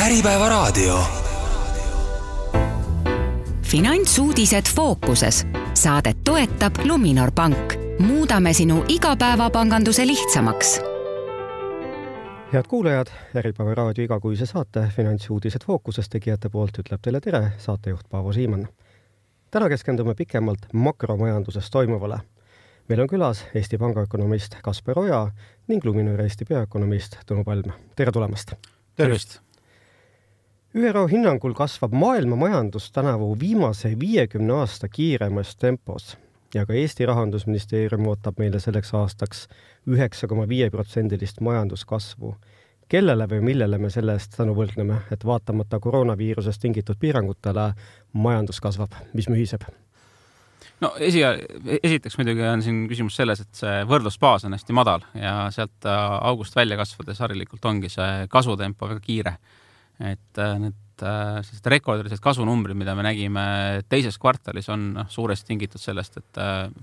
Äripäevaraadio. Finantsuudised fookuses. Saadet toetab Luminor Pank. Muudame sinu igapäevapanganduse lihtsamaks. Head kuulajad, Äripäevaraadio igakuise saate Finantsuudised fookuses tegijate poolt ütleb teile tere saatejuht Paavo Siimann. Täna keskendume pikemalt makromajanduses toimuvale. Meil on külas Eesti Panga ökonomist Kasper Oja ning Luminor Eesti peaökonomist Tõnu Palm. Tere tulemast! Tervist! ÜRO hinnangul kasvab maailma majandus tänavu viimase 50 aasta kiiremas tempos ja ka Eesti Rahandusministeerium ootab meile selleks aastaks 9,5% majanduskasvu. Kellele või millele me selle eest tänu võlgneme, et vaatamata koroonaviirusest tingitud piirangutele majandus kasvab, mis mühiseb? No esiteks muidugi on siin küsimus selles, et see võrdlusbaas on hästi madal ja sealt august välja kasvades harilikult ongi see kasvutempo väga kiire. Et need rekordilised kasvunumbrid, mida me nägime teises kvartalis, on suuresti tingitud sellest, et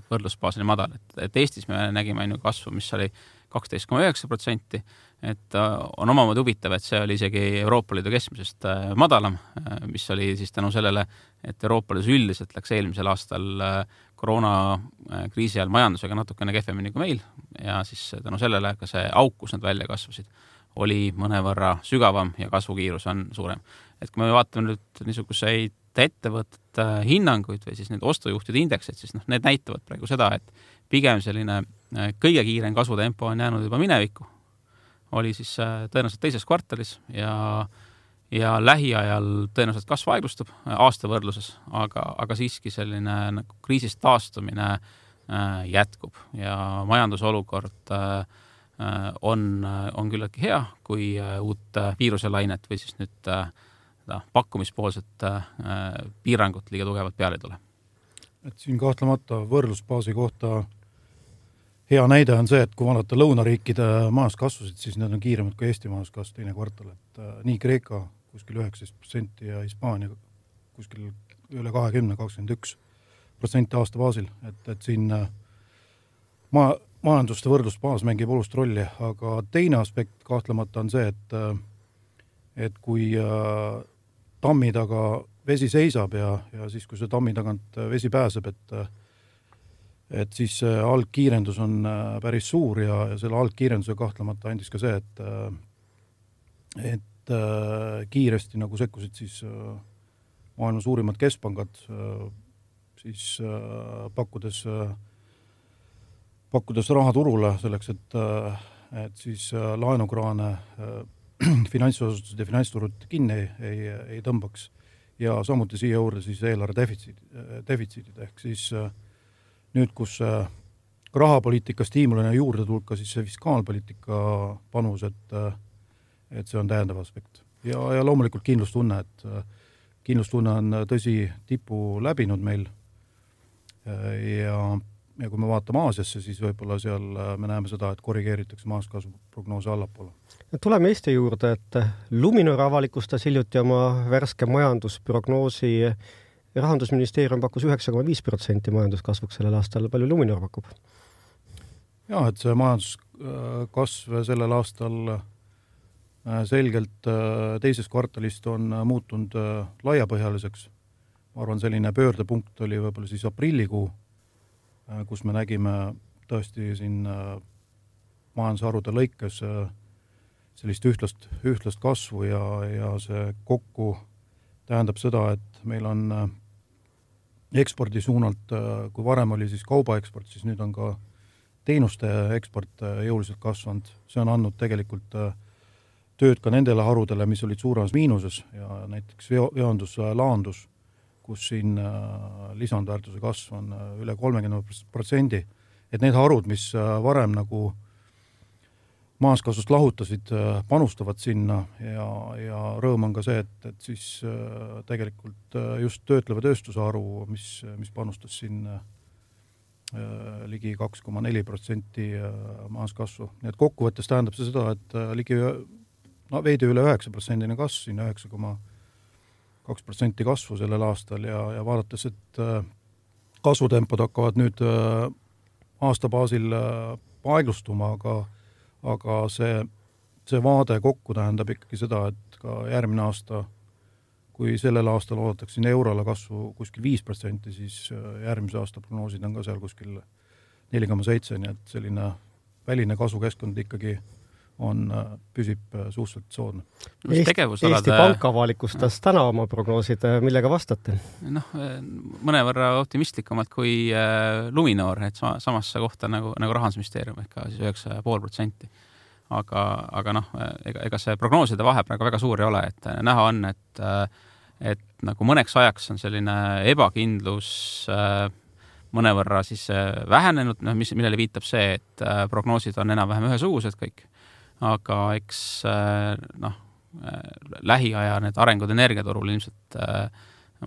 võrdlusbaas oli madal. Et Eestis me nägime kasvu, mis oli 12,9%, et on omamoodi huvitav, et see oli isegi Euroopa Liidu keskmisest madalam, mis oli siis tänu sellele, et Euroopa Liidus üldiselt läks eelmisel aastal koroonakriisi ajal majandusega natukene kehvemini kui meil ja siis tänu sellele ka see auk, kus nad välja kasvasid, oli mõnevõrra sügavam ja kasvukiirus on suurem. Et kui me vaatame nüüd niisuguseid ettevõtete hinnanguid või siis need ostujuhtide indeksid, siis need näitavad praegu seda, et pigem selline kõige kiirem kasvutempo on jäänud juba minevikku. Oli siis tõenäoliselt teises kvartalis ja lähiajal tõenäoliselt kasv aeglustub aasta võrdluses, aga siiski selline nagu kriisist taastumine jätkub ja majandusolukord on küllaltki hea, kui uut viiruselainet või siis nüüd pakkumispoolset piirangut liiga tugevalt peale ei tule. Et siin kahtlemata võrdlusbaasi kohta hea näide on see, et kui vaadata lõunariikide majanduskasvusid, siis need on kiiremad kui Eesti majanduskasv teine kvartal. Et nii Kreeka kuskil 19% ja Hispaania kuskil üle 20-21% aasta baasil. Et siin majanduste võrdlusbaas mängib olust rolli, aga teine aspekt kahtlemata on see, et kui tammi taga vesi seisab ja siis, kui see tammi tagant vesi pääseb, et siis algkiirendus on päris suur ja selle algkiirenduse kahtlemata andis ka see, et kiiresti nagu sekkusid siis maailma suurimad keskpangad siis pakkudes raha turule selleks, et siis laenukraane finantsasutused ja finantsturud kinni ei tõmbaks ja samuti siia juurde siis eelarve defitsiidid ehk siis nüüd, kus rahapoliitika stiimulina juurde tulka, siis see fiskaalpoliitika panus, et see on täiendav aspekt. Ja loomulikult kindlustunne, et kindlustunne on tõsi tipu läbinud meil ja kui me vaatame Aasiasse, siis võib-olla seal me näeme seda, et korrigeeritakse majanduskasvu prognoose allapoole. Tuleme Eesti juurde, et Luminor avalikustas hiljuti oma värske majandusprognoosi. Rahandusministeerium pakkus 9,5% majanduskasvuks sellel aastal. Palju Luminor pakub? Ja, et see majanduskasv sellel aastal selgelt teises kvartalist on muutunud laiapõhjaliseks. Ma arvan, selline pöördepunkt oli võib-olla siis aprillikuu, kus me nägime tõesti siin majandusharude lõikes sellist ühtlast kasvu ja see kokku tähendab seda, et meil on ekspordi suunalt, kui varem oli siis kaubaeksport, siis nüüd on ka teenuste eksport jõuliselt kasvanud. See on andnud tegelikult tööd ka nendele harudele, mis olid suuremas miinuses ja näiteks veondus laandus, kus siin lisandväärtuse kasv on üle 30%, et need harud, mis varem nagu majanduskasvust lahutasid, panustavad sinna ja rõõm on ka see, et siis tegelikult just töötleva tööstuse haru, mis panustas siin ligi 2,4% majanduskasvu. Nii et kokkuvõttes tähendab see seda, et ligi veidi üle 9% kasv, siin 2% kasvu sellel aastal ja vaadates, et kasvutempod hakkavad nüüd aasta baasil aeglustuma, aga see see vaade kokku tähendab ikkagi seda, et ka järgmine aasta, kui sellel aastal oodatakse siin euroala kasvu kuskil 5%, siis järgmise aasta prognoosid on ka seal kuskil 4,7, nii et selline väline kasvukeskkond ikkagi püsib suhteliselt soodne. Eesti Pank avalikustas täna oma prognoosid, millega vastate? Mõnevõrra optimistlikumalt kui Luminor, et samasse kohta nagu Rahandusministeerium ehk siis 9,5%. Aga ega see prognooside vahe praegu väga suur ei ole, et näha on, et nagu mõneks ajaks on selline ebakindlus mõnevõrra siis vähenenud, millele viitab see, et prognoosid on enam-vähem ühesugused kõik. Aga eks lähiaja need arengud energiaturul ilmselt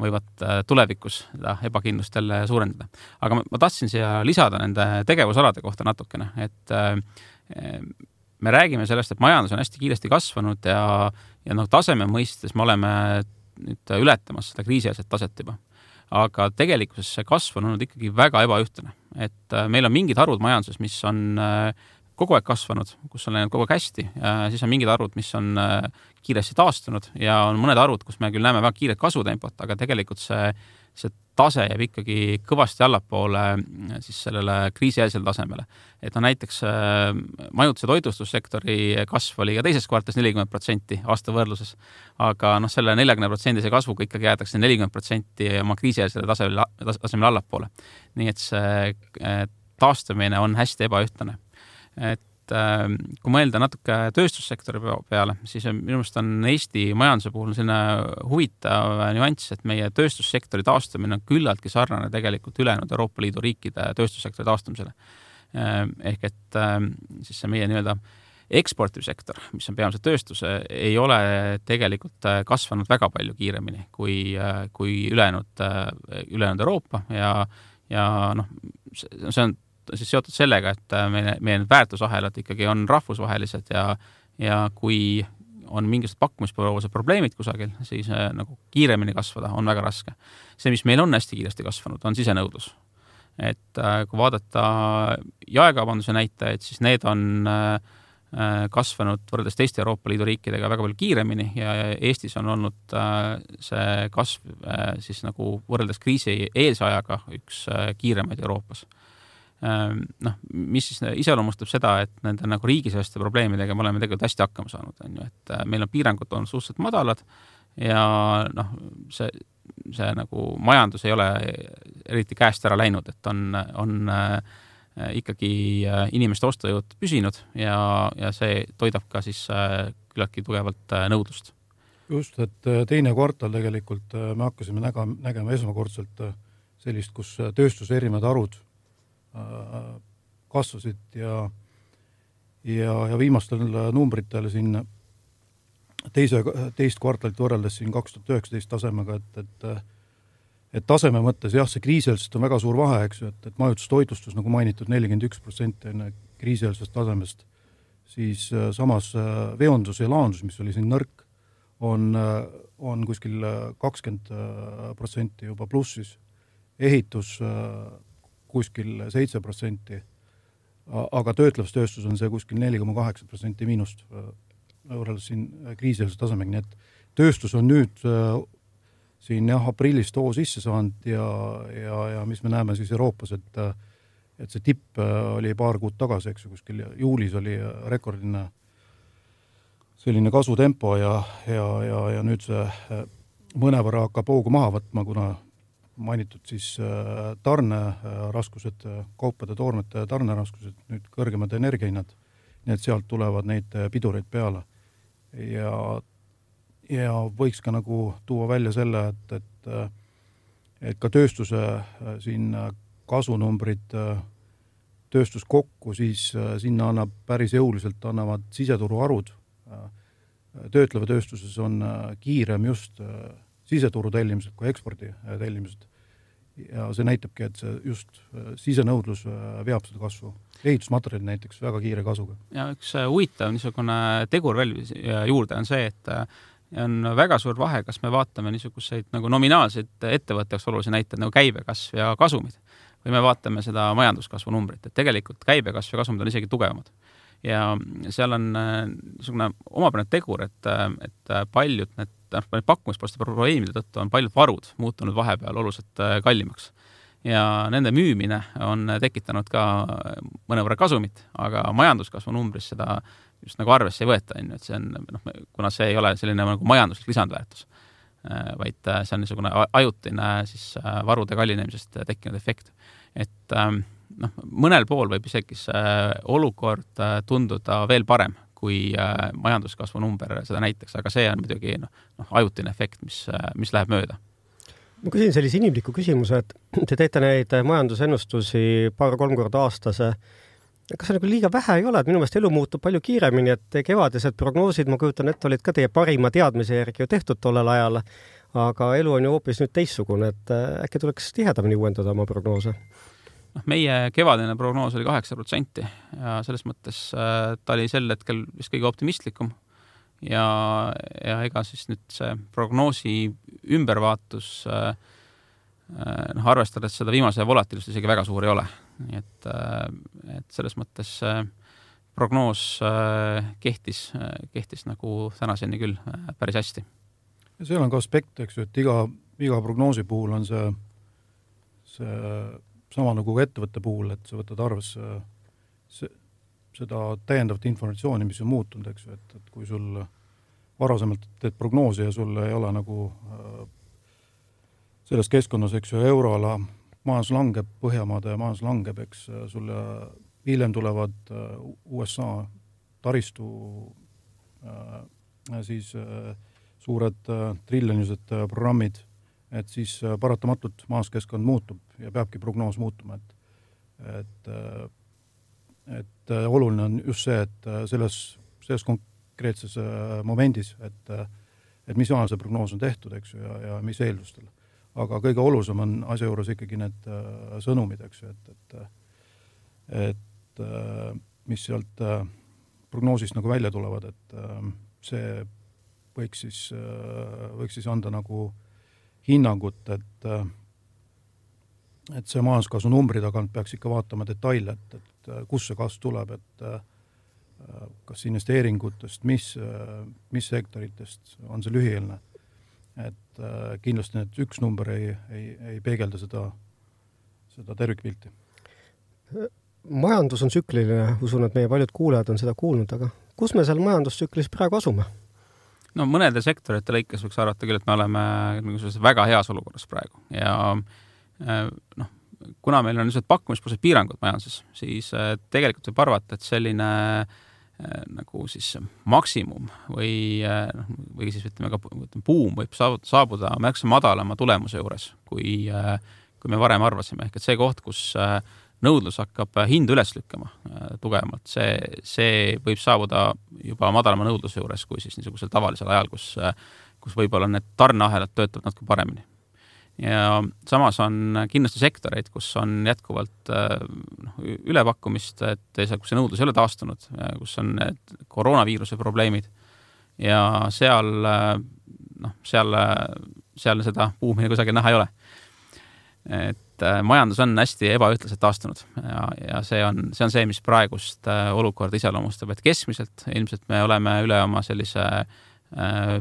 võivad tulevikus seda ebakindlust jälle suurendada. Aga ma tahtsin siia lisada nende tegevusalade kohta natukene, et me räägime sellest, et majandus on hästi kiiresti kasvanud ja taseme mõistes me oleme nüüd ületamas seda kriisieelset taset juba. Aga tegelikkuses see kasv on olnud ikkagi väga ebaühtne. Et meil on mingid harud majanduses, mis on kogu aeg kasvanud, kus on läinud kogu aeg hästi, siis on mingid arvud, mis on kiiresti taastunud ja on mõned arvud, kus me küll näeme väga kiiret kasvutempot, aga tegelikult see tase jääb ikkagi kõvasti allapoole siis sellele kriisieelsele tasemele. Et näiteks majutus- ja toitlustussektori kasv oli ka teises kvartalis 40% aasta võrdluses, aga selle 40% kasvuga ikkagi jäädakse 40% oma kriisieelsele tasemele allapoole. Nii et see taastumine on hästi ebaühtlane. Et kui mõelda natuke tööstussektori peale, siis minu meelest on Eesti majanduse puhul selline huvitav nüanss, et meie tööstussektori taastumine on küllaltki sarnane tegelikult ülejäänud Euroopa Liidu riikide tööstussektori taastumisele. Ehk et siis see meie nii-öelda eksportivsektor, mis on peamiselt tööstus, ei ole tegelikult kasvanud väga palju kiiremini kui ülejäänud Euroopa ja see on siis seotud sellega, et meie väärtusahelad ikkagi on rahvusvahelised ja kui on mingisugused pakkumispoolsed probleemid kusagil, siis nagu kiiremini kasvada on väga raske. See, mis meil on hästi kiiresti kasvanud, on sisenõudlus. Et kui vaadata jaekaubanduse näitajaid, siis need on kasvanud võrreldes teiste Euroopa Liidu riikidega väga palju kiiremini ja Eestis on olnud see kasv siis nagu võrreldes kriisi eelse ajaga üks kiiremaid Euroopas. Mis siis iseloomustab seda, et nende nagu riigiseste probleemidega me oleme tegelikult hästi hakkama saanud. Et meil on piirangud olnud suhteliselt madalad ja see nagu majandus ei ole eriti käest ära läinud, et on ikkagi inimeste ostujõud püsinud ja see toidab ka siis küllaltki tugevalt nõudlust. Just, et teine kvartal tegelikult me hakkasime nägema esmakordselt sellist, kus tööstuse erinevad arvud kasvasid ja viimastel numbritel siin teist kvartalit võrreldes siin 2019 tasemega, et taseme mõttes jah, see kriisieelsest on väga suur vahe, eks ju, et majutustoitlustus, nagu mainitud, 41% enne kriisieelsest tasemest, siis samas veondus ja laandus, mis oli siin nõrk, on kuskil 20% juba plussis, ehitus kuskil 7%, aga töötlevstööstus on see kuskil 4,8% miinust võrreldes siin kriisieelse tasemega, nii et tööstus on nüüd siin aprillist hoo sisse saanud ja mis me näeme siis Euroopas, et see tipp oli paar kuud tagasi, eks ju, kuskil juulis oli rekordine selline kasvutempo ja nüüd see mõnevõrra hakkab hoogu maha võtma, kuna mainitud siis tarneraskused, kaupade toormete tarneraskused, nüüd kõrgemad energiahinnad, nii et sealt tulevad neid pidureid peale. Ja võiks ka nagu tuua välja selle, et ka tööstuse siin kasunumbrid tööstus kokku, siis sinna annab päris jõuliselt annavad siseturu arvud. Töötleva tööstuses on kiirem just siseturu tellimised kui ekspordi tellimised. Ja see näitabki, et see just sisenõudlus veab seda kasvu. Ehitusmaterjali näiteks väga kiire kasuga. Ja üks huvitav niisugune tegur veel juurde on see, et on väga suur vahe, kas me vaatame niisuguseid nagu nominaalseid ettevõtteks olulisi näited nagu käibekasv ja kasumid või me vaatame seda majanduskasvu numbrit, et tegelikult käibekasv ja kasumid on isegi tugevamad. ja seal on niisugune omapärane tegur, et paljud need pakkumispoolste probleemide tõttu on paljud varud muutunud vahepeal oluliselt kallimaks. Ja nende müümine on tekitanud ka mõnevõrra kasumit, aga majanduskasvu numbris seda just nagu arvesse ei võeta, et see on, kuna see ei ole selline nagu majanduslik lisandväärtus, vaid see on niisugune ajutine siis varude kallinemisest tekkinud efekt. Et mõnel pool võib isegi olukord tunduda veel parem, kui majanduskasvu number seda näiteks, aga see on muidugi ajutine efekt, mis läheb mööda. Ma küsin sellise inimliku küsimuse, et te teete neid majandusennustusi 2-3 korda aastase. Kas see nagu liiga vähe ei ole, et minu meelest elu muutub palju kiiremini, et kevadised prognoosid, ma kujutan, et olid ka teie parima teadmise järgi ju tehtud tollel ajal, aga elu on ju hoopis nüüd teissugune, et äkki tuleks tihedamini uuendada oma prognoose? Meie kevadine prognoos oli 8% ja selles mõttes ta oli sel hetkel vist kõige optimistlikum ja ega siis nüüd see prognoosi ümbervaatus arvestades seda viimase volatiilust isegi väga suur ei ole. Nii et selles mõttes prognoos kehtis nagu tänaseni küll päris hästi. Ja seal on ka aspekt, eks ju, et iga prognoosi puhul on see sama nagu ettevõtte puhul, et sa võtad arvesse seda täiendavat informatsiooni, mis on muutunud, eks ju, et kui sul varasemalt teed prognoosi ja sul ei ole nagu selles keskkonnas, eks ju, euroala majandus langeb, Põhjamaade majandus langeb, eks sulle hiljem tulevad USA taristu siis suured triljonilised programmid, et siis paratamatult majanduskeskkond muutub ja peabki prognoos muutuma, et oluline on just see, et selles konkreetses momendis, et mis ajal see prognoos on tehtud, eks ju, ja mis eeldustel. Aga kõige olulisem on asja juures ikkagi need sõnumid, eks ju, et mis sealt prognoosist nagu välja tulevad, et see võiks siis anda nagu hinnangut, et see majanduskasvu numbri tagant peaks ikka vaatama detaile, et kus see kasv tuleb, et kas investeeringutest, mis sektoritest on see lühieelne. Et kindlasti need üks number ei peegelda seda tervikpilti. Majandus on tsükliline, usun, et meie paljud kuulajad on seda kuulnud, aga kus me seal majandustsüklis praegu asume? No mõnede sektorite lõikes võiks arvata küll, et me oleme väga heas olukorras praegu ja kuna meil on pakkumispoolsed piirangud majanduses, siis tegelikult võib arvata, et selline nagu siis maksimum või siis ütleme ka buum võib saabuda märksa madalama tulemuse juures, kui me varem arvasime. Ehk et see koht, kus nõudlus hakkab hindu üles lükkama tugevamalt, see võib saabuda juba madalama nõudluse juures kui siis niisugusel tavalisel ajal, kus võib-olla need tarneahelad töötavad natuke paremini. Ja samas on kindlasti sektoreid, kus on jätkuvalt ülepakkumist, et kus see nõudlus ei ole taastunud, kus on need koroonaviiruse probleemid ja seal seda buumi kusagil näha ei ole. Et majandus on hästi ebaühtlaselt taastunud ja see on see, mis praegust olukorda iseloomustab, et keskmiselt ilmselt me oleme üle oma sellise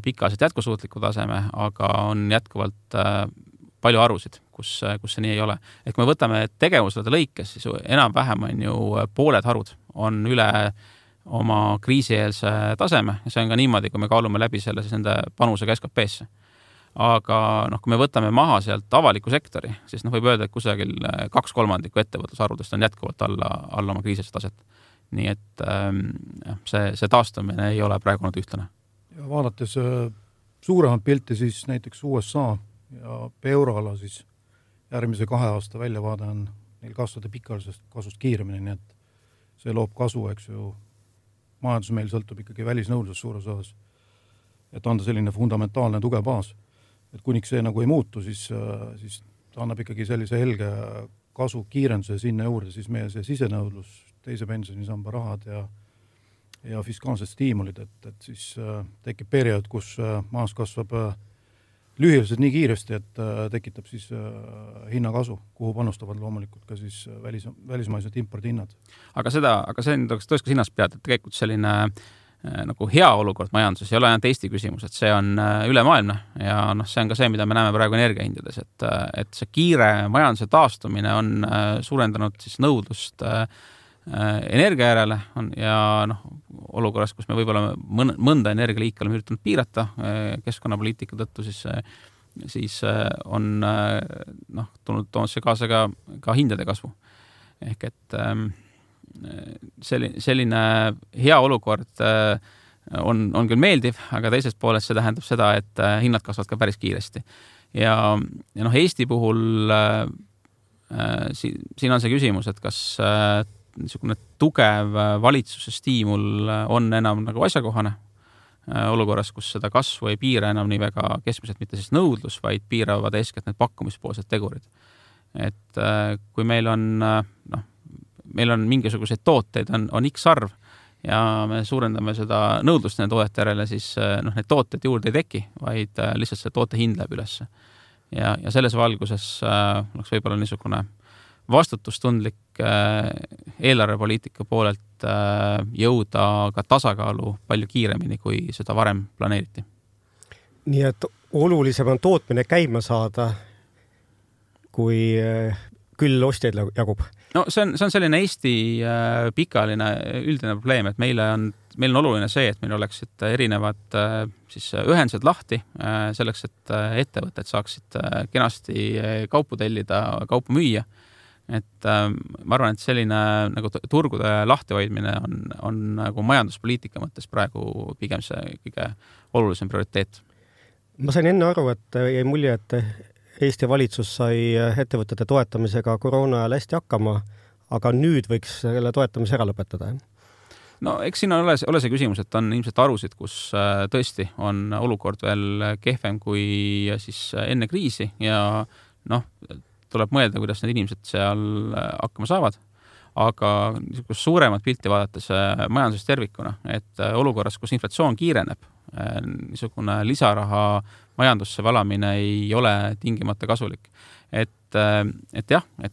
pikaaselt jätkusuutliku taseme, aga on jätkuvalt palju arusid, kus see nii ei ole. Et kui me võtame tegevusele lõikes, siis enam-vähem on ju pooled harud on üle oma kriisieelse taseme ja see on ka niimoodi, kui me kaalume läbi selle siis nende panusega SKP-sse. Aga kui me võtame maha sealt avaliku sektori, siis võib öelda, et kusagil 2/3 ettevõtlusarvudest on jätkuvalt alla oma kriisist taset. Nii et see taastumine ei ole praegu olnud ühtlane. Ja vaadates suuremat pilti, siis näiteks USA ja euroala siis järgmise 2 aasta väljavaade on neil kasvada pikaajalisest kasvust kiiremini, nii et see loob kasu, eks ju. Majandus meil sõltub ikkagi välisnõudlusest suures osas, et anda selline fundamentaalne tugev baas. Et kuniks see nagu ei muutu, siis ta annab ikkagi sellise helge kasu kiirenduse sinna juurde, siis meie see sisenõudlus, teise pensionisamba rahad ja fiskaalsed stiimulid, et siis tekib periood, kus majandus kasvab lühiajaliselt nii kiiresti, et tekitab siis hinnakasu, kuhu panustavad loomulikult ka siis välismaised impordihinnad. Aga see tõesti hinnas pead, et tegelikult selline nagu hea olukord majanduses ei ole ainult Eesti küsimus, et see on ülemaailmne ja see on ka see, mida me näeme praegu energiahindades, et see kiire majanduse taastumine on suurendanud siis nõudlust energia järele ja olukorras, kus me võib-olla mõnda energialiiki oleme üritanud piirata keskkonnapoliitika tõttu, siis on toonud see kaasa ka hindade kasvu. Ehk et selline hea olukord on küll meeldiv, aga teisest poolest see tähendab seda, et hinnad kasvavad ka päris kiiresti. Ja Eesti puhul siin on see küsimus, et kas niisugune tugev valitsuse stiimul on enam nagu asjakohane olukorras, kus seda kasvu ei piira enam nii väga keskmiselt mitte siis nõudlus, vaid piiravad eeskätt need pakkumispoolsed tegurid. Et kui meil on mingisuguseid tooteid, on X arv ja me suurendame seda nõudlust nende toodete järele, siis need tooted juurde ei teki, vaid lihtsalt see toote hind läheb üles. Ja selles valguses oleks võib-olla niisugune vastutustundlik eelarvepoliitika poolelt jõuda ka tasakaalu palju kiiremini, kui seda varem planeeriti. Nii et olulisem on tootmine käima saada, kui küll ostjaid jagub? No see on selline Eesti pikaajaline üldine probleem, et meil on oluline see, et meil oleksid erinevad siis ühendused lahti selleks, et ettevõtted saaksid kenasti kaupu tellida, kaupu müüa. Et ma arvan, et selline nagu turgude lahtihoidmine on nagu majanduspoliitika mõttes praegu pigem see kõige olulisem prioriteet. Ma sain enne aru, et jäi mulje, et Eesti valitsus sai ettevõtete toetamisega koroona ajal hästi hakkama, aga nüüd võiks selle toetamise ära lõpetada. No eks siin ole see küsimus, et on ilmselt arusid, kus tõesti on olukord veel kehvem kui siis enne kriisi ja tuleb mõelda, kuidas need inimesed seal hakkama saavad. Aga suuremat pilti vaadates majanduses tervikuna, et olukorras, kus inflatsioon kiireneb, niisugune lisaraha majandusse valamine ei ole tingimata kasulik. Et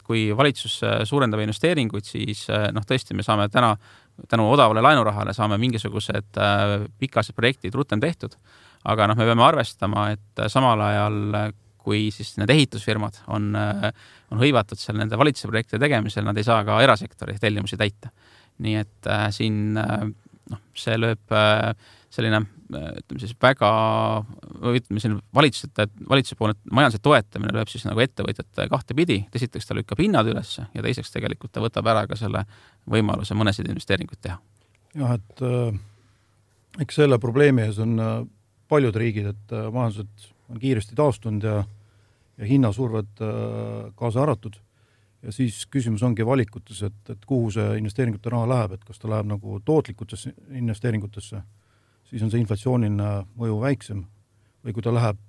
kui valitsus suurendab investeeringuid, siis tõesti me saame tänu odavale laenurahale saame mingisugused pikased projektid rutem tehtud, aga me peame arvestama, et samal ajal kui siis need ehitusfirmad on hõivatud seal nende valitsuse projektide tegemisel, nad ei saa ka erasektori tellimusi täita. Nii et siin see lööb selline siis väga valitsuse poolne majanduse toetamine lööb siis nagu ettevõtjate kahte pidi. Esiteks ta lükkab hinnad üles ja teiseks tegelikult ta võtab ära ka selle võimaluse mõnesid investeeringuid teha. Jah, et eks selle probleemi ees on paljud riigid, et majandused on kiiresti taastunud ja hinnasurved kaasa arvatud. Ja siis küsimus ongi valikutes, et kuhu see investeeringute raha läheb, et kas ta läheb nagu tootlikutesse investeeringutesse, siis on see inflatsiooniline mõju väiksem. Või kui ta läheb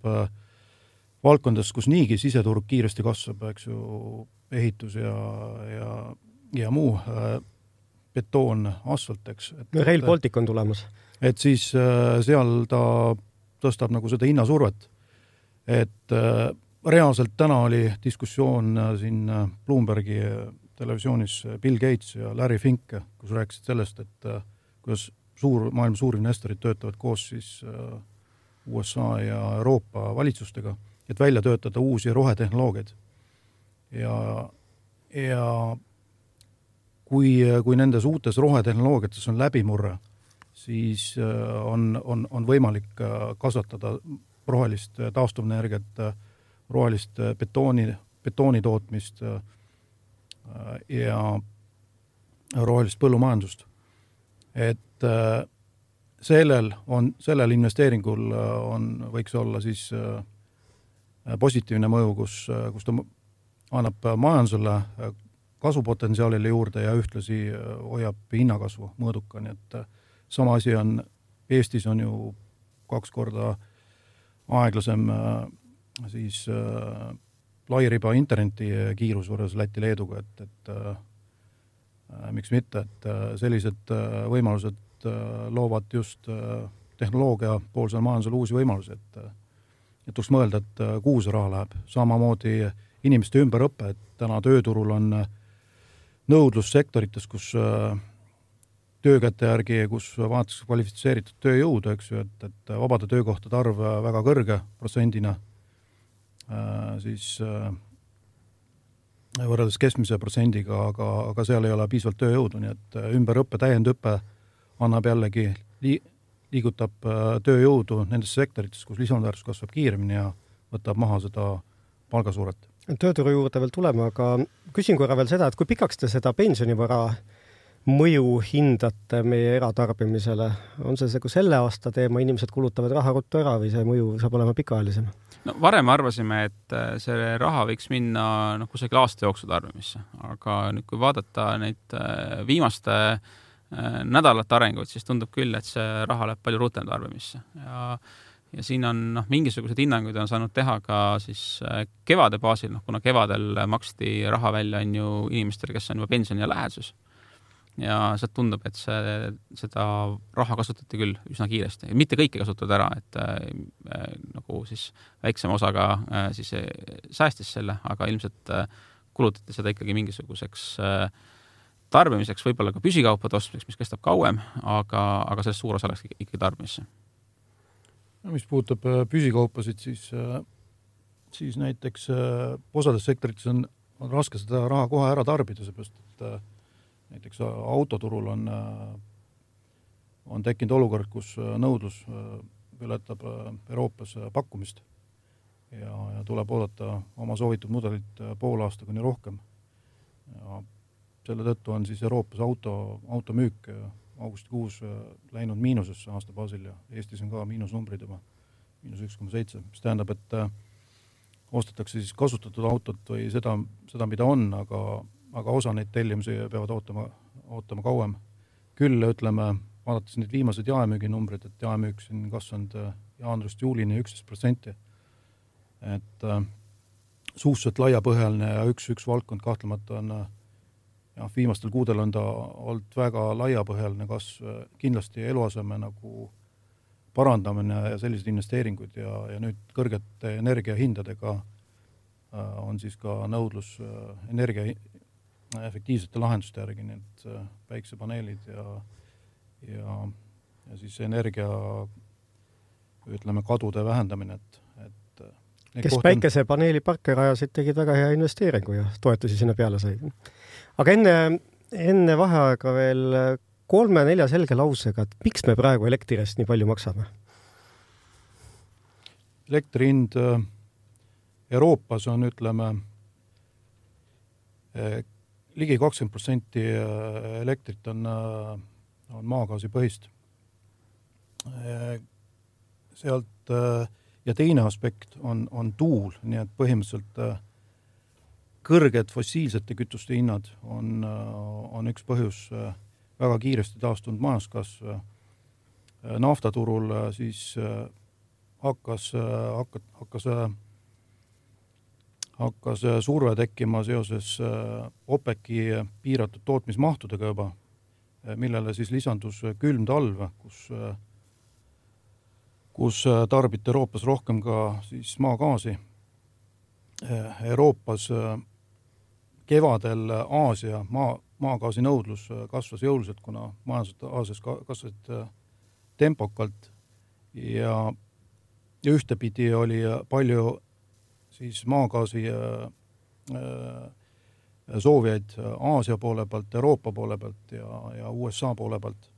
valdkondades, kus niigi siseturg kiiresti kasvab, eks ju, ehitus ja muu betoon, asfalt, eks. Rail Baltic on tulemas. Et siis seal ta tõstab nagu seda hinnasurvet. Et reaalselt täna oli diskussioon siin Bloombergi televisioonis Bill Gates ja Larry Fink, kus rääkisid sellest, et kuidas maailma suurinvestorid töötavad koos siis USA ja Euroopa valitsustega, et välja töötada uusi rohetehnoloogiaid. Ja kui nendes uutes rohetehnoloogiates on läbimurre, siis on võimalik kasvatada rohelist taastuvnenergiat, rohelist betooni tootmist ja rohelist põllumajandust. Et sellel investeeringul võiks olla siis positiivne mõju, kus ta annab majandusele kasvupotentsiaalile juurde ja ühtlasi hoiab hinnakasvu mõõdukani. Et sama asi on, Eestis on ju 2 korda aeglasem siis lairiba interneti kiirus võrreldes Läti-Leeduga, et miks mitte, et sellised võimalused loovad just tehnoloogia poolsel majandusel uusi võimalusi, et tuleks mõelda, et kuhu see raha läheb. Samamoodi inimeste ümberõppe, et täna tööturul on nõudlus sektorites, kus töökäte järgi, kus vaadatakse kvalifitseeritud tööjõudu, eks ju, et vabade töökohtade arv väga kõrge protsendina, siis võrreldes keskmise protsendiga, aga seal ei ole piisavalt tööjõudu, nii et ümberõppe, täiendõppe annab jällegi, liigutab tööjõudu nendes sektorites, kus lisandväärtus kasvab kiiremini ja võtab maha seda palgasuuret. Tööturu juurde veel tulema, aga küsin korra veel seda, et kui pikaks te seda pensionivara mõju hindate meie eratarbimisele? On see kui selle aasta teema, inimesed kulutavad raha ruttu ära või see mõju saab olema pikaajalisem? No, varem arvasime, et see raha võiks minna kusagil aasta jooksul tarbimisse, aga nüüd kui vaadata neid viimaste nädalate arenguid, siis tundub küll, et see raha läheb palju rutem tarbimisse ja siin on mingisugused hinnanguid on saanud teha ka siis kevade baasil, kuna kevadel maksti raha välja on ju inimestele, kes on juba pensioni ja läheduses. Ja sealt tundub, et seda raha kasutati küll üsna kiiresti. Mitte kõike kasutavad ära, et nagu siis väiksema osaga siis säästis selle, aga ilmselt kulutati seda ikkagi mingisuguseks tarbimiseks, võib-olla ka püsikaupade ostmiseks, mis kestab kauem, aga sellest suur osa läks ikkagi tarbimisse. Mis puudutab püsikaupasid, siis näiteks osades sektorites on raske seda raha kohe ära tarbida, seepärast, et näiteks autoturul on tekkinud olukord, kus nõudlus ületab Euroopas pakkumist ja tuleb oodata oma soovitud mudelit pool aasta kuni rohkem. Ja selle tõttu on siis Euroopas automüük augustikuus läinud miinusesse aasta baasil ja Eestis on ka miinusnumbrid juba, -1,7, mis tähendab, et ostetakse siis kasutatud autot või seda, mida on, aga osa neid tellimusi peavad ootama kauem. Küll ütleme, vaadates neid viimased jaemüüginumbrid, et jaemüük siin kasvanud jaanuarist juulini 11%. Et suhteliselt laiapõhjaline ja üks valdkond kahtlemata on viimastel kuudel on ta olnud väga laiapõhjaline kasv, kindlasti eluaseme nagu parandamine ja sellised investeeringud ja nüüd kõrgete energiahindadega on siis ka nõudlus energia efektiivsete lahenduste järgi, need päiksepaneelid ja siis energia, ütleme, kadude vähendamine. Kes päikesepaneeli parke rajasid, tegid väga hea investeeringu ja toetusi sinna peale sai. Aga enne vaheaega veel 3-4 selge lausega, et miks me praegu elektrist nii palju maksame? Elektri hind Euroopas on, ütleme, ligi 20% elektrit on maagaasi põhist. Sealt ja teine aspekt on tuul, nii et põhimõtteliselt kõrged fossiilsete kütuste hinnad on üks põhjus väga kiiresti taastunud majanduskasv. Naftaturul siis hakkas surve tekkima seoses OPEC-i piiratud tootmismahtudega juba, millele siis lisandus külm talv, kus tarbiti Euroopas rohkem ka siis maagaasi. Euroopas kevadel Aasia maagaasi nõudlus kasvas jõuliselt, kuna majandused Aasias kasvasid tempokalt ja ühtepidi oli palju siis maagaasi soovijaid Aasia poole pealt, Euroopa poole pealt ja USA poole pealt.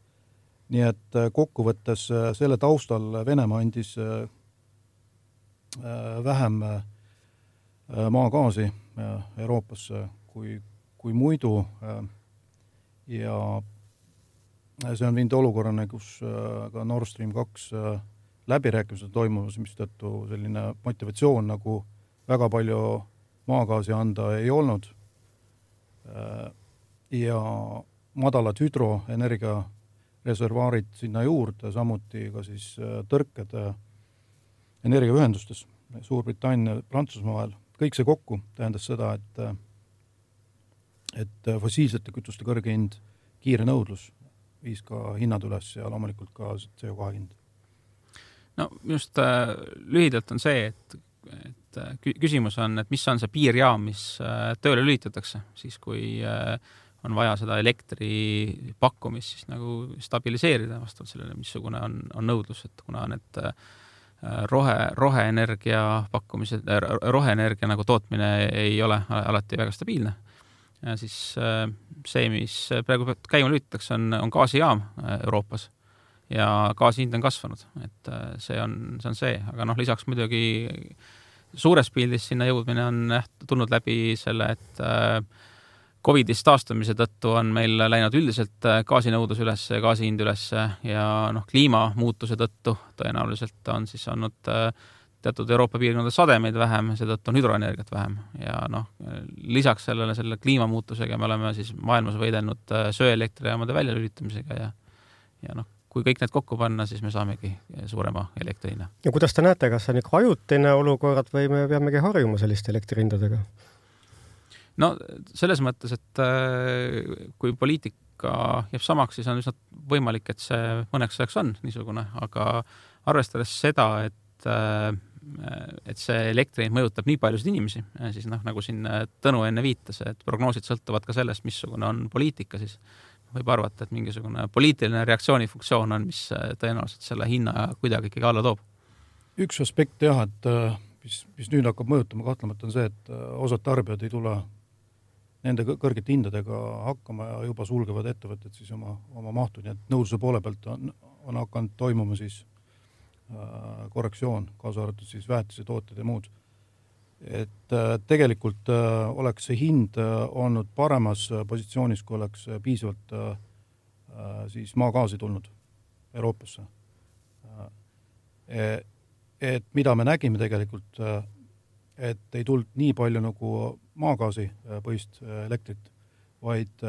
Nii et kokkuvõttes selle taustal Venemaa andis vähem maagaasi Euroopasse kui muidu ja see on viinud olukorrane, kus ka Nord Stream 2 läbirääkimised toimumas, mis tõttu selline motivatsioon nagu väga palju maagaasi anda ei olnud ja madalad hüdroenergia reservaarid sinna juurde, samuti ka siis tõrked energiaühendustes Suurbritannia ja Prantsusmaa vahel. Kõik see kokku tähendas seda, et fossiilsete kütuste kõrge hind, kiire nõudlus viis ka hinnad üles ja loomulikult ka CO2 hind. No just lühidalt on see, et küsimus on, et mis on see piirjaam, mis tööle lülitatakse, siis kui on vaja seda elektri pakkumist siis nagu stabiliseerida vastavalt sellele, missugune on nõudlus, et kuna need roheenergia pakkumised, roheenergia nagu tootmine ei ole alati väga stabiilne, ja siis see, mis praegu käima lülitatakse, on gaasijaam Euroopas ja gaasi hind on kasvanud, et see on see, aga lisaks muidugi suures pildis sinna jõudmine on tulnud läbi selle, et Covidist taastumise tõttu on meil läinud üldiselt gaasinõudlus üles, gaasihind üles ja kliimamuutuse tõttu tõenäoliselt on siis olnud teatud Euroopa piirkondade sademeid vähem, seetõttu on hüdroenergiat vähem ja lisaks selle kliimamuutusega me oleme siis maailmas võidelnud söeelektrijaamade väljalülitamisega ja kui kõik need kokku panna, siis me saamegi suurema elektrihinna. Ja kuidas te näete, kas see on ikka ajutine olukord või me peamegi harjuma selliste elektrihindadega? No selles mõttes, et kui poliitika jääb samaks, siis on üsna võimalik, et see mõneks ajaks on niisugune, aga arvestades seda, et see elektri mõjutab nii paljusid inimesi, siis nagu siin Tõnu enne viitas, et prognoosid sõltuvad ka sellest, missugune on poliitika, siis võib arvata, et mingisugune poliitiline reaktsioonifunktsioon on, mis tõenäoliselt selle hinna kuidagi ikkagi alla toob. Üks aspekt jah, et mis nüüd hakkab mõjutama kahtlemata on see, et osad tarbijad ei tule nende kõrgete hindadega hakkama ja juba sulgevad ettevõtted siis oma mahtu, nii et nõudluse poole pealt on hakanud toimuma siis korrektsioon, kaasa arvatud siis väetise tooted ja muud. Et tegelikult oleks see hind olnud paremas positsioonis, kui oleks piisavalt siis maagaasi tulnud Euroopasse. Et mida me nägime tegelikult, et ei tulnud nii palju nagu maagaasi põhist elektrit, vaid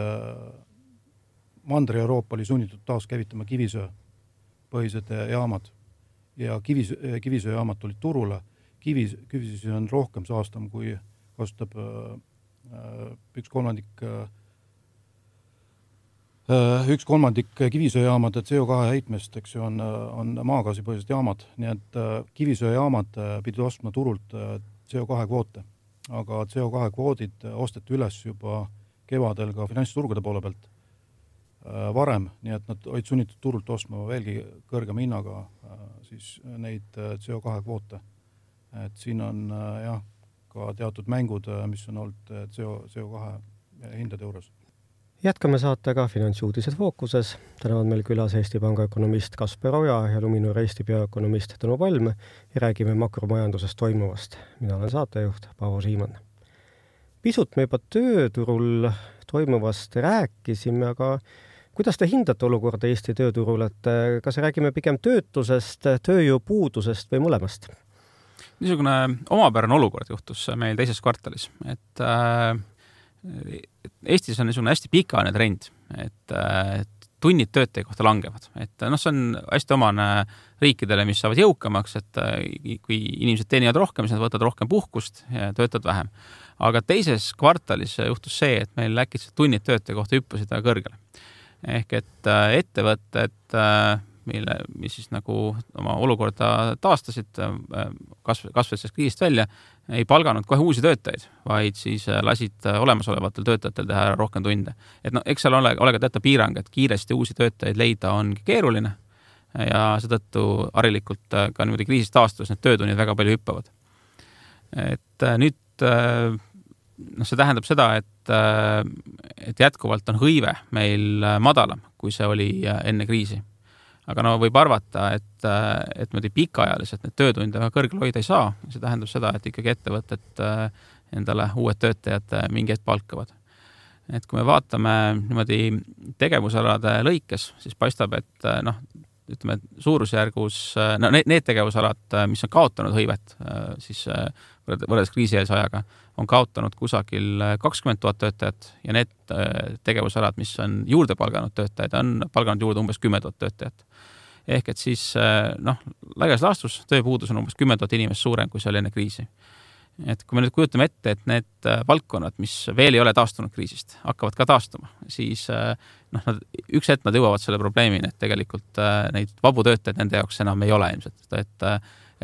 Mandri-Euroopa oli sunnitud taas käivitama kivisöö põhised jaamad ja kivisööjaamad tulid turule. Kivisöö on rohkem saastam, kui kasutab üks kolmandik kivisööjaamade CO2 heitmest, eks ju, on maagaasi põhised jaamad, nii et kivisööjaamad pidid ostma turult CO2 kvoote, aga CO2 kvoodid osteti üles juba kevadel ka finantsturgude poole pealt varem, nii et nad olid sunnitud turult ostma veelgi kõrgema hinnaga siis neid CO2 kvoote. Et siin on jah, ka teatud mängud, mis on olnud CO2 hindade juures. Jätkame saatega Finantsuudised fookuses. Täna on meil külas Eesti Panga ökonomist Kasper Oja ja Luminor Eesti peaökonomist Tõnu Palm ja räägime makromajanduses toimuvast. Mina olen saatejuht Paavo Siimann. Pisut me juba tööturul toimuvast rääkisime, aga kuidas te hindate olukorda Eesti tööturul, et kas räägime pigem töötusest, tööjõupuudusest või mõlemast? Niisugune omapärane olukord juhtus meil teises kvartalis, et Eestis on niisugune hästi pikaajaline trend, et tunnid töötaja kohta langevad. Et see on hästi omane riikidele, mis saavad jõukamaks, et kui inimesed teenivad rohkem, siis nad võtavad rohkem puhkust ja töötavad vähem. Aga teises kvartalis juhtus see, et meil äkitselt tunnid töötaja kohta hüppasid väga kõrgele. Ehk et ettevõtted, mis siis nagu oma olukorda taastasid, kasvasid kriisist välja, ei palganud kohe uusi töötajaid, vaid siis lasid olemasolevatel töötajatel teha rohkem tunde. Et eks seal ole ka teata piirang, et kiiresti uusi töötajaid leida ongi keeruline ja seetõttu harilikult ka niimoodi kriisist taastus need töötunnid väga palju hüppavad. Et nüüd see tähendab seda, et jätkuvalt on hõive meil madalam, kui see oli enne kriisi. Aga võib arvata, et pikaajaliselt need töötunde väga kõrgel hoida ei saa. See tähendab seda, et ikkagi ettevõtted endale uued töötajad mingi hetk palkavad. Et kui me vaatame niimoodi tegevusalade lõikes, siis paistab, et ütleme, suurusjärgus need tegevusalad, mis on kaotanud hõivet, siis võrreldes kriisieelse ajaga, on kaotanud kusagil 20 000 töötajat ja need tegevusalad, mis on juurde palganud töötajad, on palganud juurde umbes 10 000 töötajat. Ehk et siis laias laastus tööpuudus on umbes 10 000 inimest suurem, kui see oli enne kriisi. et kui me nüüd kujutame ette, et need valdkonnad, mis veel ei ole taastunud kriisist, hakkavad ka taastuma, siis üks hetk nad jõuavad selle probleemini, et tegelikult neid vabu töötajaid nende jaoks enam ei ole ilmselt, et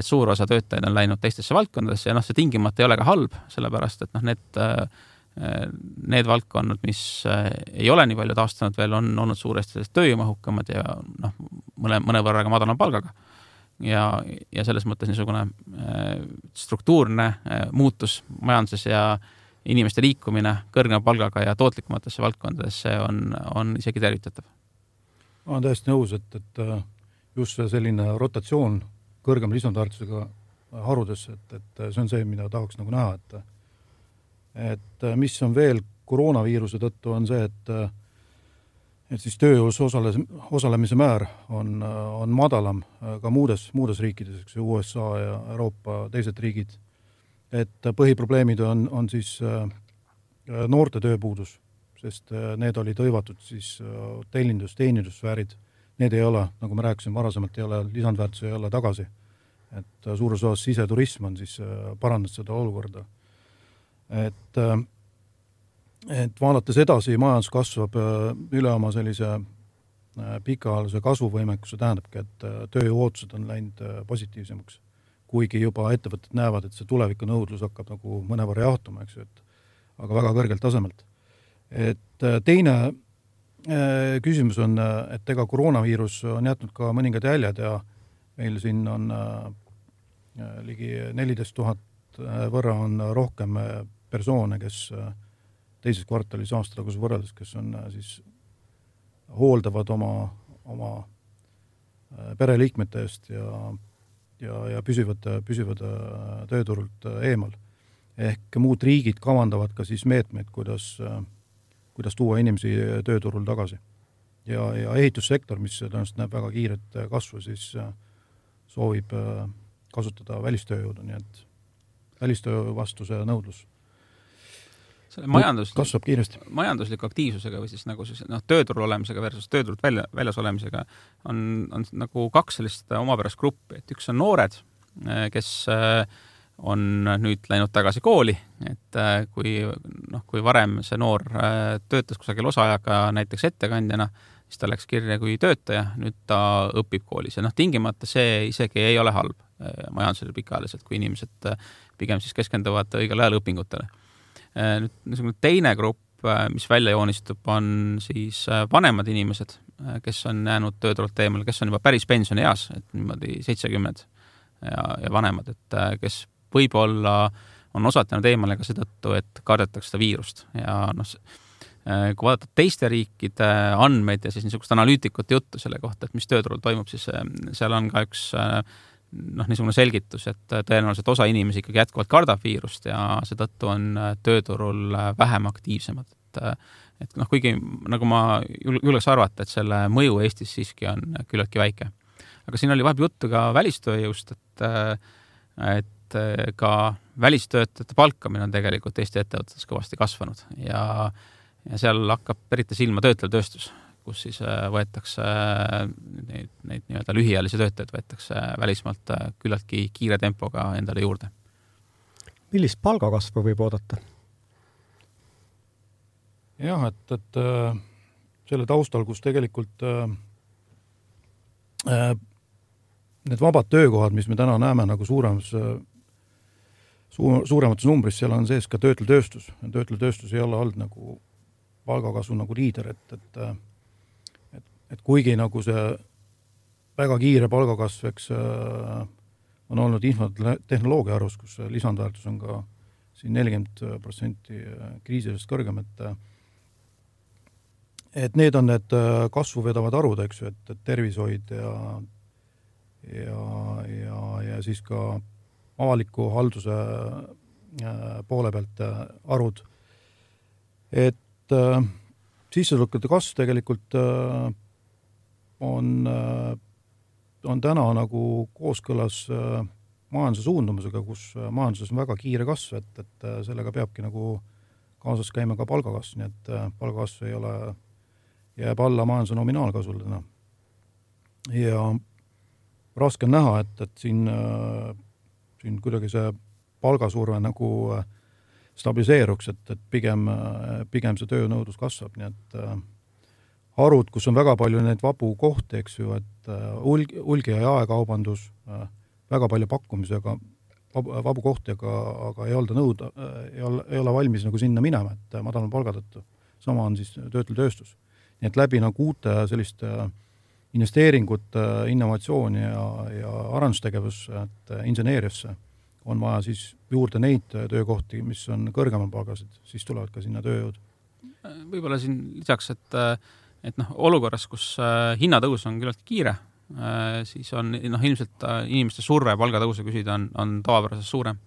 suur osa töötajaid on läinud teistesse valdkondadesse ja see tingimata ei ole ka halb, sellepärast et need valdkonnad, mis ei ole nii palju taastunud veel, on olnud suuresti tööjõumahukamad ja mõnevõrra ka madalama palgaga. Ja selles mõttes niisugune struktuurne muutus majanduses ja inimeste liikumine kõrgema palgaga ja tootlikumatesse valdkondadesse on isegi tervitatav. Ma olen täiesti nõus, et just selline rotatsioon kõrgema lisandväärtusega harudesse, et see on see, mida tahaks nagu näha, et mis on veel koroonaviiruse tõttu on see, et siis tööjõus osalemise määr on madalam ka muudes riikides, eks USA ja Euroopa teised riigid. Et põhiprobleemid on siis noorte tööpuudus, sest need olid hõivatud siis teenindussfäärid. Need ei ole, nagu me rääkisime varasemalt, lisandväärtus ei ole tagasi. Et suures osas siseturism on siis parandanud seda olukorda. Et vaadates edasi, majandus kasvab üle oma sellise pikaajalise kasvuvõimekuse, tähendabki, et tööjõuootused on läinud positiivsemaks, kuigi juba ettevõtted näevad, et see tuleviku nõudlus hakkab nagu mõnevõrra jahtuma, eks ju, aga väga kõrgelt tasemelt. Et teine küsimus on, et ega koroonaviirus on jätnud ka mõningad jäljed ja meil siin on ligi 14 000 võrra on rohkem persoone, kes teises kvartalis aastatagus võrreldes, kes on siis hooldavad oma pereliikmete eest ja püsivad tööturult eemal. Ehk muud riigid kavandavad ka siis meetmeid, kuidas tuua inimesi tööturul tagasi. Ja ehitussektor, mis tõenäoliselt näeb väga kiiret kasvu, siis soovib kasutada välistööjõudu, nii et välistöö vastu see nõudlus kasvab kiiresti. Majandusliku aktiivsusega või siis nagu tööturul olemisega versus tööturult väljas olemisega on nagu kaks sellist omapärast gruppi, et üks on noored, kes on nüüd läinud tagasi kooli, et kui varem see noor töötas kusagil osaajaga näiteks ettekandjana, siis ta läks kirja kui töötaja, nüüd ta õpib koolis ja tingimata see isegi ei ole halb majandusele pikaajaliselt, kui inimesed pigem siis keskenduvad õigel ajal õpingutele. Nüüd teine grupp, mis välja joonistub, on siis vanemad inimesed, kes on jäänud tööturult eemal, kes on juba päris pensionieas, et niimoodi 70 ja vanemad, et kes võib-olla on osatanud eemale ka seetõttu, et kardetakse seda viirust. Ja kui vaadata teiste riikide andmeid ja siis niisugust analüütikute juttu selle kohta, et mis tööturul toimub, siis seal on ka üks niisugune selgitus, et tõenäoliselt osa inimesi ikkagi jätkuvalt kardab viirust ja seetõttu on tööturul vähem aktiivsemad. Et kuigi nagu ma julgeks arvata, et selle mõju Eestis siiski on küllaltki väike. Aga siin oli vahepeal juttu ka välistööjõust, et ka välistöötajate palkamine on tegelikult Eesti ettevõtetes kõvasti kasvanud ja seal hakkab eriti silma töötlev tööstus, kus siis võetakse neid nii-öelda lühiajalisi töötajaid võetakse välismaalt küllaltki kiire tempoga endale juurde. Millist palgakasvu võib oodata? Jah, et selle taustal, kus tegelikult need vabad töökohad, mis me täna näeme nagu suuremates numbris, seal on sees ka töötlev tööstus. Töötlev tööstus ei ole olnud nagu palgakasvu nagu liider, et kuigi nagu see väga kiire palgakasv, eks on olnud infotehnoloogia arvus, kus lisandväärtus on ka siin 40% kriisidest kõrgem, et need on need kasvu vedavad arvud, eks ju, et tervishoid ja siis ka avaliku halduse poole pealt arvud. Et sissetulekute kasv tegelikult on täna nagu kooskõlas majanduse suundumusega, kus majanduses on väga kiire kasv, et sellega peabki nagu kaasas käima ka palgakasv, nii et palgakasv jääb alla majanduse nominaalkasvule täna. Ja raske on näha, et siin kuidagi see palgasurve nagu stabiliseeruks, et pigem see töönõudlus kasvab, nii et harud, kus on väga palju neid vabu kohti, eks ju, et hulgi- ja jaekaubandus, väga palju pakkumisega, vabu kohti, aga ei ole valmis nagu sinna minema, et madalama palga tõttu. Sama on siis töötletööstus. Nii et läbi nagu uute selliste investeeringut, innovatsiooni ja arendustegevusse, et inseneeriasse on vaja siis juurde neid töökohti, mis on kõrgemal palgasid, siis tulevad ka sinna tööjõud. Võib-olla siin lisaks, et olukorras, kus hinnatõus on küllalt kiire, siis on ilmselt inimeste surve palgatõuse küsida on tavapärasest suurem.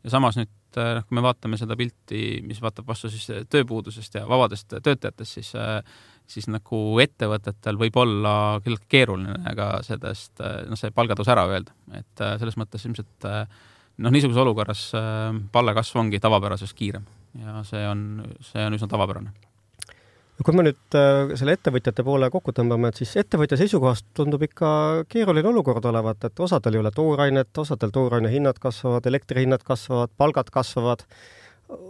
Ja samas nüüd, kui me vaatame seda pilti, mis vaatab vastu siis tööpuudusest ja vabadest töötajatest, siis nagu ettevõtetel võib olla küllalt keeruline aga sellest see palgatõus ära öelda. Et selles mõttes ilmselt niisuguse olukorras palgakasv ongi tavapärasest kiirem ja see on üsna tavapärane. Kui me nüüd selle ettevõtjate poole kokku tõmbame, et siis ettevõtja seisukohast tundub ikka keeruline olukord olevat, et osadel ei ole toorainet, osadel tooraine hinnad kasvavad, elektrihinnad kasvavad, palgad kasvavad.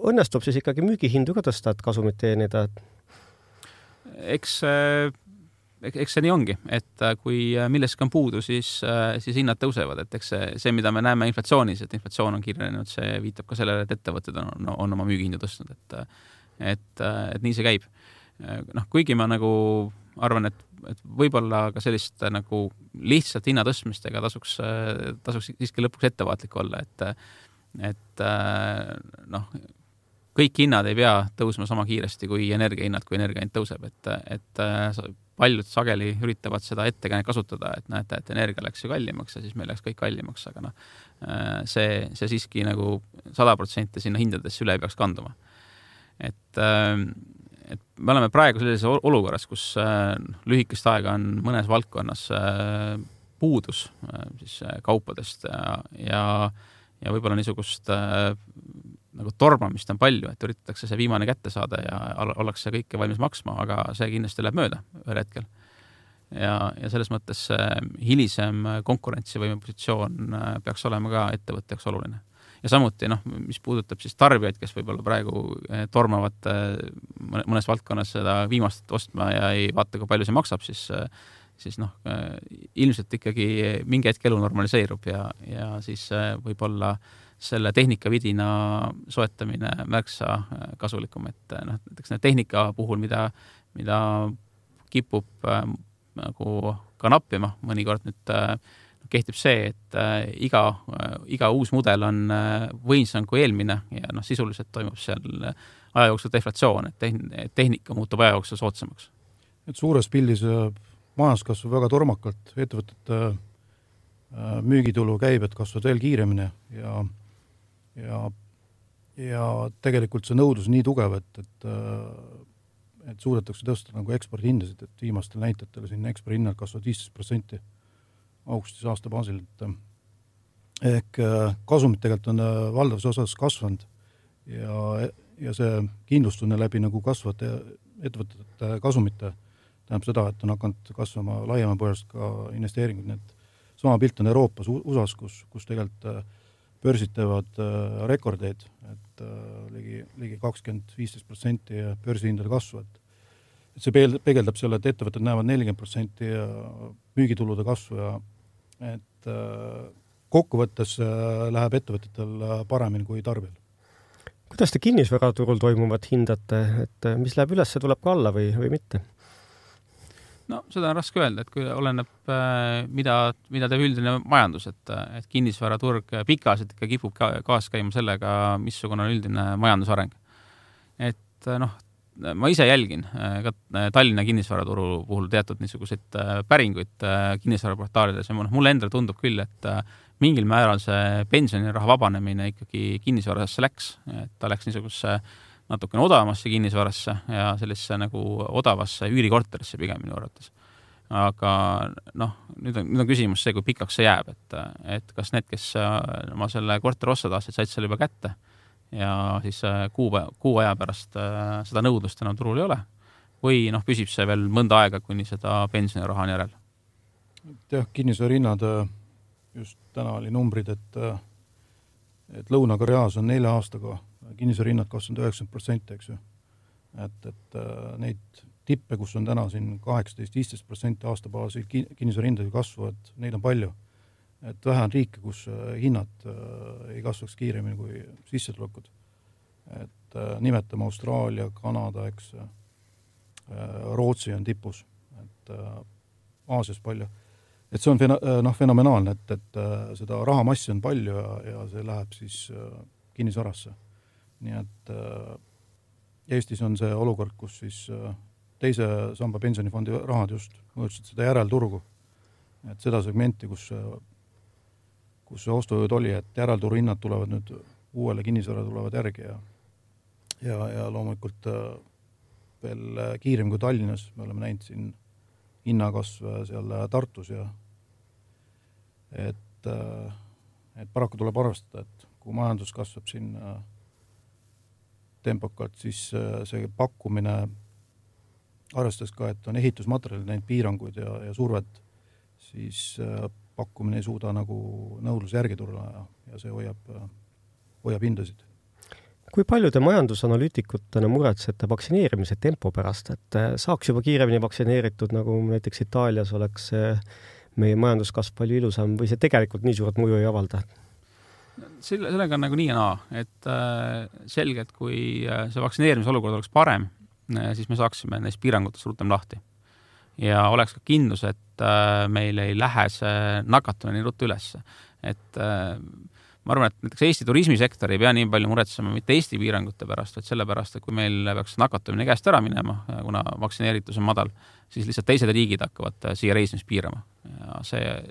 Õnnestub siis ikkagi müügihindu ka tõsta, et kasumit teenida? Eks see nii ongi, et kui milleski on puudu, siis hinnad tõusevad, et eks see, mida me näeme inflatsioonis, et inflatsioon on kiirenenud, see viitab ka sellele, et ettevõtted on oma müügihindu tõstnud, et nii see käib. Kuigi ma nagu arvan, et võib-olla ka sellist nagu lihtsalt hinnatõstmistega tasuks siiski lõpuks ettevaatlik olla, et kõik hinnad ei pea tõusma sama kiiresti kui energiahinnad, kui energiahind tõuseb, et paljud sageli üritavad seda ettekäänet kasutada, et näete, et energia läks ju kallimaks ja siis meil läks kõik kallimaks, aga see siiski nagu 100% sinna hindadesse üle ei peaks kanduma. Et me oleme praegu sellises olukorras, kus lühikest aega on mõnes valdkonnas puudus siis kaupadest ja võib-olla niisugust nagu tormamist on palju, et üritatakse see viimane kätte saada ja ollakse kõike valmis maksma, aga see kindlasti läheb mööda ühel hetkel. Ja selles mõttes hilisem konkurentsivõime positsioon peaks olema ka ettevõtteks oluline. Ja samuti, mis puudutab siis tarbijaid, kes võib-olla praegu tormavad mõnes valdkonnas seda viimast ostma ja ei vaata, kui palju see maksab, siis ilmselt ikkagi mingi hetk elu normaliseerub ja siis võib-olla selle tehnikavidina soetamine märksa kasulikum, et näiteks tehnika puhul, mida kipub nagu ka nappima, mõnikord nüüd kehtib see, et iga uus mudel on võimsam kui eelmine ja sisuliselt toimub seal aja jooksul deflatsioon, et tehnika muutub aja jooksul soodsamaks. Et suures pildis majandus kasvab väga tormakalt, ettevõtete müügitulu käibed kasvavad veel kiiremini ja tegelikult see nõudlus nii tugev, et suudetakse tõsta nagu ekspordihindasid, et viimastel näitajatel siin ekspordihinnad kasvavad 15% augustis aasta baasil, ehk kasumid tegelikult on valdavas osas kasvanud ja see kindlustunne läbi nagu kasvavate ettevõtete kasumite tähendab seda, et on hakanud kasvama laiema põhjast ka investeeringud, nii et sama pilt on Euroopas, USAs, kus tegelikult börsid teevad rekordeid, et ligi 20-15% börsihindade kasvu, et see peegeldab selle, et ettevõtted näevad 40% müügitulude kasvu ja et kokkuvõttes läheb ettevõtetel paremini kui tarbijal. Kuidas te kinnisvaraturul toimuvat hindate, et mis läheb üles, tuleb ka alla või mitte? Seda on raske öelda, et kui oleneb, mida teeb üldine majandus, et kinnisvaraturg pikaselt ikka kipub kaas käima sellega, missugune on üldine majandusareng. Et ma ise jälgin ka Tallinna kinnisvaraturu puhul teatud niisuguseid päringuid kinnisvaraportaalides ja mulle endale tundub küll, et mingil määral see pensioniraha vabanemine ikkagi kinnisvarasse läks, et ta läks niisugusesse natukene odavamasse kinnisvarasse ja sellisesse nagu odavasse üürikorterisse pigem minu arvates. Aga nüüd on küsimus see, kui pikaks see jääb, et kas need, kes oma selle korteri osta tahtsid, said selle juba kätte ja siis kuu aja pärast seda nõudlust enam turul ei ole või püsib see veel mõnda aega, kuni seda pensioniraha on järel? Kinnisvara hinnad, just täna oli numbrid, et et Lõuna-Koreas on 4 aastaga kinnisvara hinnad kasvanud 90%, eks ju. Et neid tippe, kus on täna siin 18-15% aastabaasil kinnisvara hindade kasvu, et neid on palju. Et vähe on riike, kus hinnad ei kasvaks kiiremini kui sissetulekud. Et nimetame Austraalia, Kanada, eks, Rootsi on tipus, et Aasias palju. Et see on fenomenaalne, et seda rahamassi on palju ja see läheb siis kinnisvarasse. Nii et Eestis on see olukord, kus siis teise samba pensionifondi rahad just mõõtsid seda järelturgu. Et seda segmenti, kus see ostujõud oli, et järelturu hinnad tulevad nüüd uuele kinnisvara tulevad järgi ja loomulikult veel kiirem kui Tallinnas. Me oleme näinud siin hinnakasv seal Tartus ja et paraku tuleb arvestada, et kui majandus kasvab siin tempokalt, siis see pakkumine arvestades ka, et on ehitusmaterjalid, neid piiranguid ja survet, siis pakkumine ei suuda nagu nõudluse järgi tulla ja see hoiab hindasid. Kui palju te majandusanalüütikutena muretsete vaktsineerimise tempo pärast, et saaks juba kiiremini vaktsineeritud, nagu näiteks Itaalias oleks meie majanduskasv palju ilusam või see tegelikult nii suurt mõju ei avalda? Sellega on nagu nii ja naa, et selgelt, kui see vaktsineerimise olukord oleks parem, siis me saaksime neist piirangutest rutem lahti. Ja oleks ka kindlus, et meil ei lähe see nakatumine nii ruttu üles. Et ma arvan, et näiteks Eesti turismisektor ei pea nii palju muretsema mitte Eesti piirangute pärast, vaid selle pärast, et kui meil peaks nakatumine käest ära minema, kuna vaktsineeritus on madal, siis lihtsalt teised riigid hakkavad siia reisimist piirama. Ja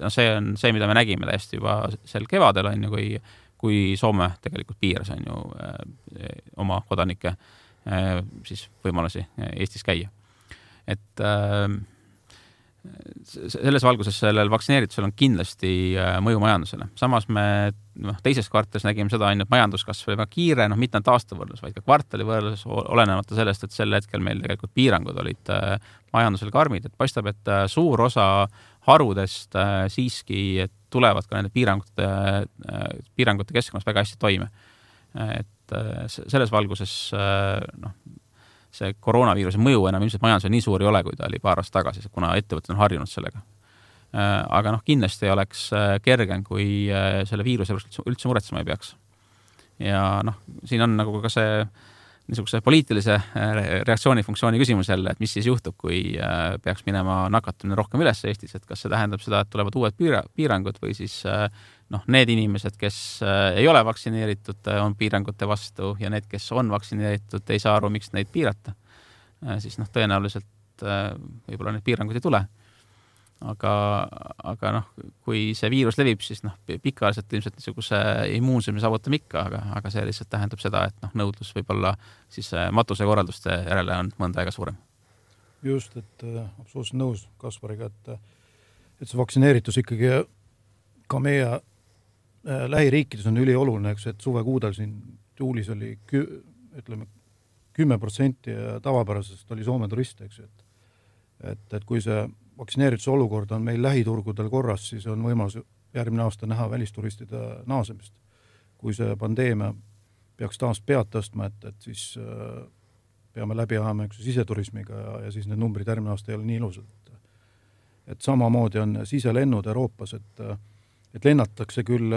see on see, mida me nägime täiesti juba sel kevadel, on ju, kui Soome tegelikult piiras on ju oma kodanike siis võimalusi Eestis käia. Et selles valguses sellel vaktsineeritusel on kindlasti mõju majandusele. Samas me teises kvartalis nägime seda, et majanduskasv oli väga kiire, mitte ainult aasta võrdlus, vaid ka kvartali võrdlus, olenemata sellest, et sel hetkel meil tegelikult piirangud olid majandusel karmid. Et paistab, et suur osa harudest siiski tulevad ka nende piirangute keskkonnas väga hästi toime. Et selles valguses see koroonaviiruse mõju enam ilmselt majandusel nii suur ei ole, kui ta oli paar aastat tagasi, kuna ettevõtted on harjunud sellega. Aga kindlasti oleks kergem, kui selle viiruse üldse muretsema ei peaks. Ja siin on nagu ka see niisuguse poliitilise reaktsioonifunktsiooni küsimus jälle, et mis siis juhtub, kui peaks minema nakatumine rohkem üles Eestis, et kas see tähendab seda, et tulevad uued piirangud või siis need inimesed, kes ei ole vaktsineeritud, on piirangute vastu ja need, kes on vaktsineeritud, ei saa aru, miks neid piirata. Siis tõenäoliselt võib-olla need piirangud ei tule. Aga kui see viirus levib, siis pikaajaliselt ilmselt niisuguse immuunsuse saavutame ikka, aga see lihtsalt tähendab seda, et nõudlus võib-olla siis matuse korralduste järele on mõnda aega suurem. Just, et absoluutselt nõus Kaspariga, et see vaktsineeritus ikkagi ka meie lähiriikides on ülioluline, et suvekuudel siin juulis oli 10% ja tavapärasest oli Soome turiste, et kui see vaktsineerituse olukord on meil lähiturgudel korras, siis on võimalus järgmine aasta näha välisturistide naasemist. Kui see pandeemia peaks taas pead tõstma, et siis peame läbi ajama siseturismiga ja siis need numbrid järgmine aasta ei ole nii ilusad. Et samamoodi on siselennud Euroopas, et lennatakse küll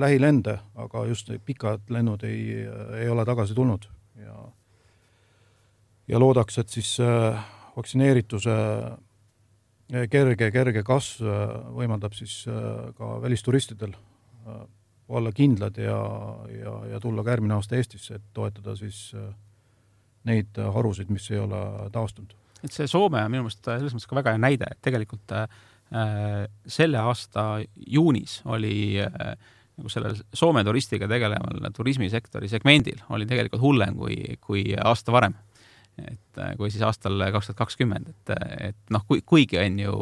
lähilende, aga just pikad lennud ei ole tagasi tulnud. Ja loodaks, et siis vaktsineerituse kerge kasv võimaldab siis ka välisturistidel olla kindlad ja tulla ka järgmine aasta Eestisse, et toetada siis neid harusid, mis ei ole taastunud. Et see Soome on minu meelest selles mõttes ka väga hea näide, et tegelikult selle aasta juunis oli nagu sellel Soome turistiga tegeleval turismisektori segmendil oli tegelikult hullem kui aasta varem. Et kui siis aastal 2020, et kuigi on ju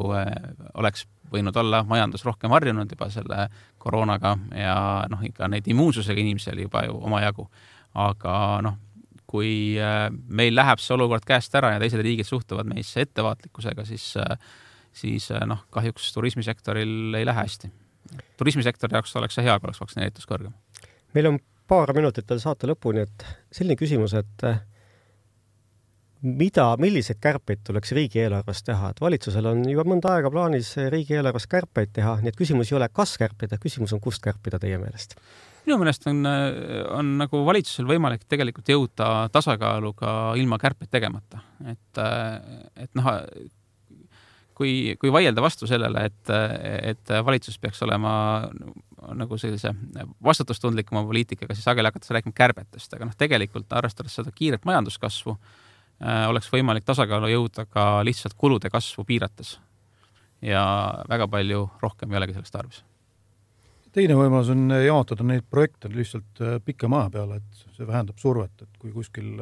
oleks võinud olla majandus rohkem harjunud juba selle koroonaga ja ikka neid immuunsusega inimesi oli juba ju omajagu. Aga kui meil läheb see olukord käest ära ja teised riigid suhtuvad meisse ettevaatlikkusega, siis kahjuks turismisektoril ei lähe hästi. Turismisektori jaoks oleks see hea, kui oleks vaktsineeritus kõrgem. Meil on paar minutit veel saate lõpuni, et selline küsimus, et milliseid kärpeid tuleks riigieelarves teha, et valitsusel on juba mõnda aega plaanis riigieelarves kärpeid teha, nii et küsimus ei ole, kas kärpida, küsimus on, kust kärpida teie meelest? Minu meelest on nagu valitsusel võimalik tegelikult jõuda tasakaaluga ilma kärpeid tegemata. Et kui vaielda vastu sellele, et valitsus peaks olema nagu sellise vastutustundlikuma poliitikaga, siis sageli hakatakse rääkima kärbetest, aga tegelikult arvestades seda kiiret majanduskasvu, oleks võimalik tasakaalu jõuda ka lihtsalt kulude kasvu piirates ja väga palju rohkem ei olegi sellest tarvis. Teine võimalus on jaotada neid projekte lihtsalt pikema aja peale, et see vähendab survet, et kui kuskil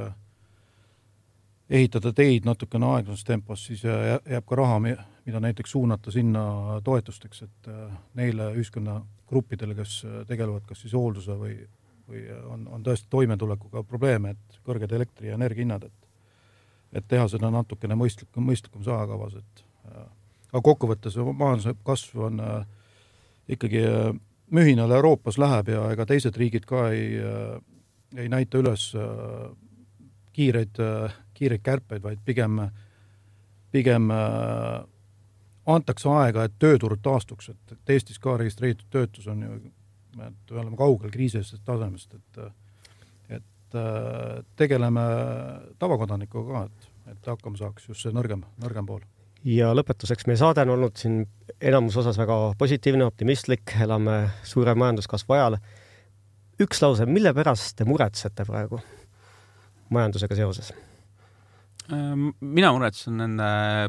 ehitada teid natukene aeglases tempos, siis jääb ka raha, mida näiteks suunata sinna toetusteks, et neile ühiskonnagruppidele, kes tegelevad kas siis hoolduse või on tõesti toimetulekuga probleeme, et kõrged elektri- ja energiahinnad, et teha seda natukene mõistlikum saakavas. Aga kokkuvõttes majanduse kasv on ikkagi mühinal Euroopas läheb ja ega teised riigid ka ei näita üles kiireid kärpeid, vaid pigem antakse aega, et tööturud taastuks, et Eestis ka registreeritud töötus on ju, et oleme kaugel kriisisest tasemest, et tegeleme tavakodanikuga ka, et hakkama saaks just see nõrgem pool. Ja lõpetuseks meie saade on olnud siin enamus osas väga positiivne, optimistlik, elame suure majanduskasvu ajal. Üks lause, mille pärast te muretsete praegu majandusega seoses? Mina muretsen nende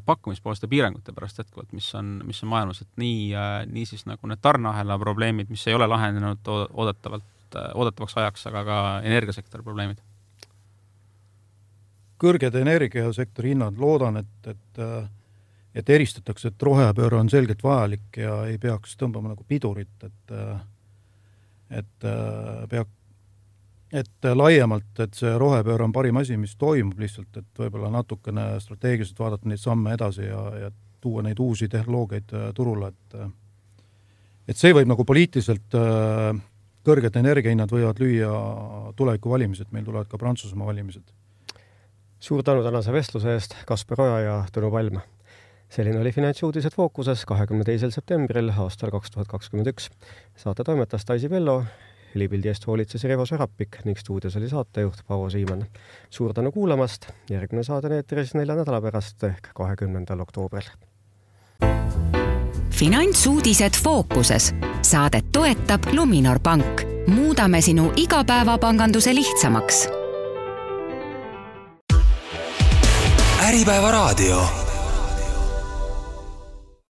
pakkumispoolste piirangute pärast jätkuvalt, mis on maailmas, et nii siis nagu need tarneahela probleemid, mis ei ole lahenenud oodatavaks ajaks, aga ka energiasektori probleemid. Kõrged energiasektori hinnad, loodan, et eristatakse, et rohepööre on selgelt vajalik ja ei peaks tõmbama nagu pidurit, et laiemalt, et see rohepööre on parim asi, mis toimub lihtsalt, et võib-olla natukene strateegiliselt vaadata neid samme edasi ja tuua neid uusi tehnoloogiaid turule, et see võib nagu poliitiliselt kõrged energiahinnad võivad lüüa tuleviku valimised, meil tulevad ka Prantsusmaa valimised. Suur tänu tänase vestluse eest, Kaspar Oja ja Tõnu Palm. Selline oli Finantsuudised Fookuses 22. septembril aastal 2021. Saate toimetas Taisi Vello, helipildi eest hoolitses Revo Sarapik ning stuudios oli saatejuht Paavo Siimann. Suur tänu kuulamast, järgmine saade neetris 4 nädala pärast ehk 20. oktoobril. Finantsuudised Fookuses. Saadet toetab Luminor Pank. Muudame sinu igapäevapanganduse lihtsamaks. Äripäeva raadio.